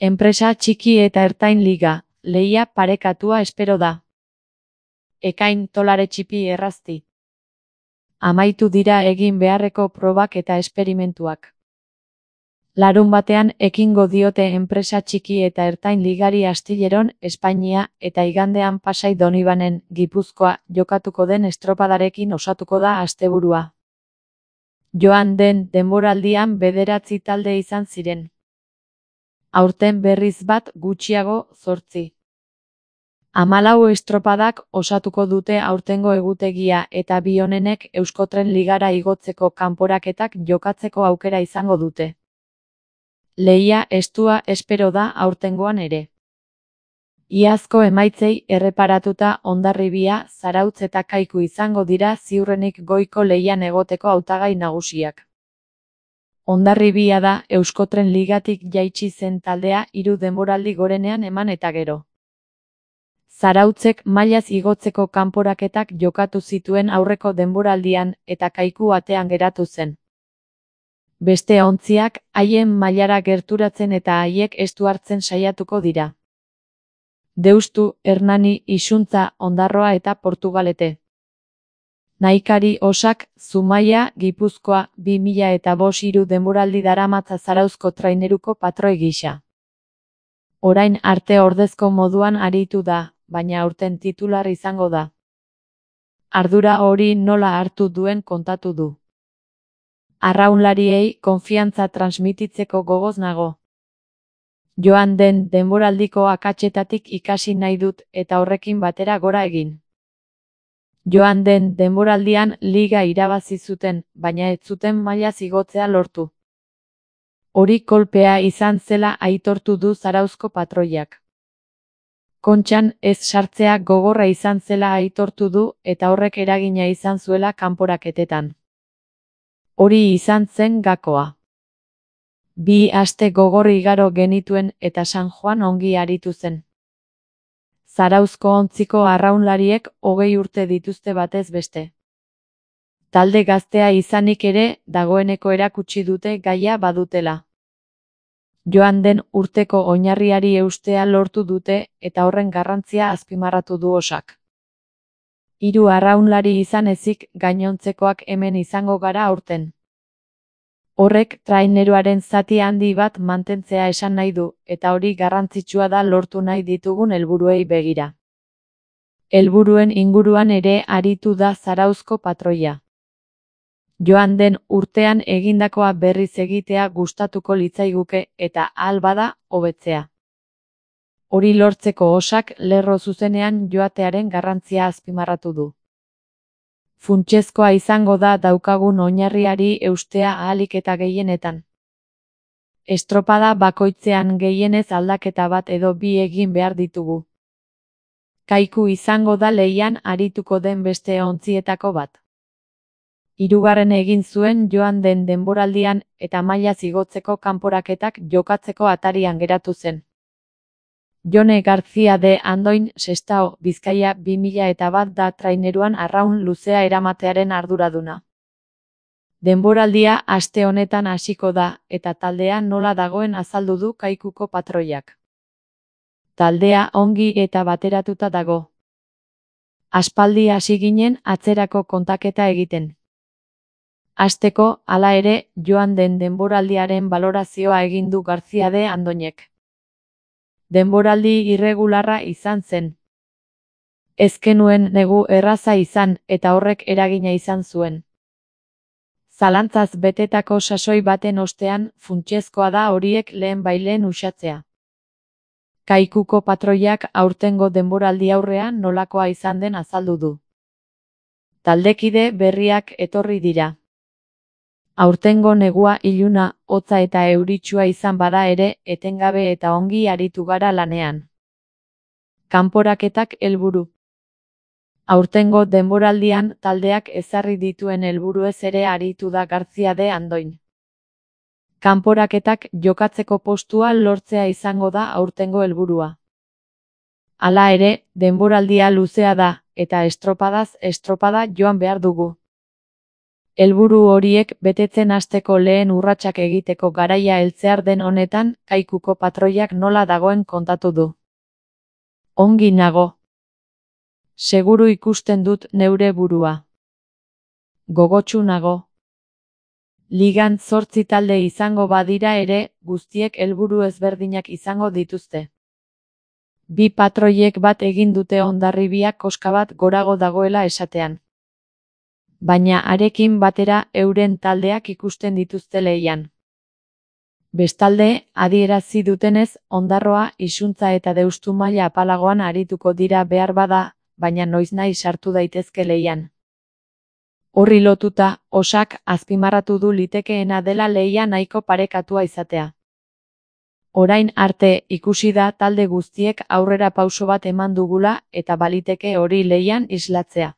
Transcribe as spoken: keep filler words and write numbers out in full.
Enpresa txiki eta ertain liga, lehia parekatua espero da. Ekain tolare txipi errazti. Amaitu dira egin beharreko probak eta esperimentuak. Larun batean ekingo diote enpresa txiki eta ertain ligari Astilleron, Espainia, eta igandean Pasai Donibanen, Gipuzkoa, jokatuko den estropadarekin osatuko da asteburua. Joan den denboraldian bederatzi talde izan ziren. Aurten berriz bat gutxiago, zortzi. Hamalau estropadak osatuko dute aurtengo egutegia eta bi honenek Euskotren Ligara igotzeko kanporaketak jokatzeko aukera izango dute. Lehia estua espero da aurtengoan ere. Iazko emaitzei erreparatuta Hondarribia, Zarautz eta Kaiku izango dira ziurrenik goiko lehian egoteko hautagai nagusiak. Hondarribia da Euskotren Ligatik jaitsi zen taldea hiru denboraldi gorenean eman eta gero. Zarautzek mailaz igotzeko kanporaketak jokatu zituen aurreko denboraldian eta Kaiku atean geratu zen. Beste ontziak haien mailara gerturatzen eta haiek estu hartzen saiatuko dira. Deustu, Hernani, Isuntza, Ondarroa eta Portugalete. Naikari Osak, Zumaia, Gipuzkoa, bi mila eta bost hiru denboraldi daramatza Zarauzko traineruko patroi gisa. Orain arte ordezko moduan aritu da, baina aurten titular izango da. Ardura hori nola hartu duen kontatu du. Arraunlariei konfiantza transmititzeko gogoz nago. Joan den denboraldiko akatsetatik ikasi nahi dut eta horrekin batera gora egin. Joan den denboraldian liga irabazi zuten, baina ez zuten mailaz igotzea lortu. Hori kolpea izan zela aitortu du Zarauzko patroiak. Kontxan ez sartzea gogorra izan zela aitortu du eta horrek eragina izan zuela kanporaketetan. Hori izan zen gakoa. Bi aste gogorri igaro genituen eta San Juan ongi aritu zen. Zarauzko ontziko arraunlariek hogei urte dituzte batez beste. Talde gaztea izanik ere dagoeneko erakutsi dute gaia badutela. Joan den urteko oinarriari eustea lortu dute eta horren garrantzia azpimarratu du Osak. Hiru arraunlari izan ezik gainontzekoak hemen izango gara aurten. Horrek traineruaren zati handi bat mantentzea esan nahi du, eta hori garrantzitsua da lortu nahi ditugun helburuei begira. Helburuen inguruan ere aritu da Zarauzko patroia. Joan den urtean egindakoa berriz egitea gustatuko litzaiguke eta ahal bada hobetzea. Hori lortzeko Osak lerro zuzenean joatearen garrantzia azpimarratu du. Funtsezkoa izango da daukagun oinarriari eustea ahalik eta gehienetan. Estropada bakoitzean gehienez aldaketa bat edo bi egin behar ditugu. Kaiku izango da lehian arituko den beste ontzietako bat. Hirugarren egin zuen joan den denboraldian eta mailaz igotzeko kanporaketak jokatzeko atarian geratu zen. Jone García de Andoin, Sestao, Bizkaia bi mila eta bat da traineruan arraun luzea eramatearen arduraduna. Denboraldia aste honetan hasiko da eta taldea nola dagoen azaldu du Kaikuko patroiak. Taldea ongi eta bateratuta dago. Aspaldi hasi ginen atzerako kontaketa egiten. Hasteko, hala ere, joan den denboraldiaren balorazioa egin du García de Andoinek. Denboraldi irregularra izan zen. Ez genuen negu erraza izan eta horrek eragina izan zuen. Zalantzaz betetako sasoi baten ostean funtsezkoa da horiek lehen baileen uxatzea. Kaikuko patroiak aurtengo denboraldi aurrean nolakoa izan den azaldu du. Taldekide berriak etorri dira. Aurtengo negua iluna, hotza eta euritsua izan bada ere, etengabe eta ongi aritu gara lanean. Kanporaketak helburu. Aurtengo denboraldian taldeak ezarri dituen helburuez ere aritu da García de Andoin. Kanporaketak jokatzeko postua lortzea izango da aurtengo helburua. Hala ere, denboraldia luzea da, eta estropadaz estropada joan behar dugu. Helburu horiek betetzen hasteko lehen urratsak egiteko garaia heltzear den honetan, Kaikuko patroiak nola dagoen kontatu du. Ongi nago. Seguru ikusten dut neure burua. Gogotsu nago. Ligan zortzi talde izango badira ere, guztiek helburu ezberdinak izango dituzte. Bi patroiek bat egin dute Hondarribia koska bat gorago dagoela esatean. Baina harekin batera euren taldeak ikusten dituzte lehian. Bestalde, adierazi dutenez, Ondarroa, Izuntza eta Deustu maila apalagoan arituko dira behar bada, baina noiznahi sartu daitezke lehian. Horri lotuta, Osak azpimarratu du litekeena dela lehia nahiko parekatua izatea. Orain arte ikusi da talde guztiek aurrera pauso bat eman dugula eta baliteke hori lehian islatzea.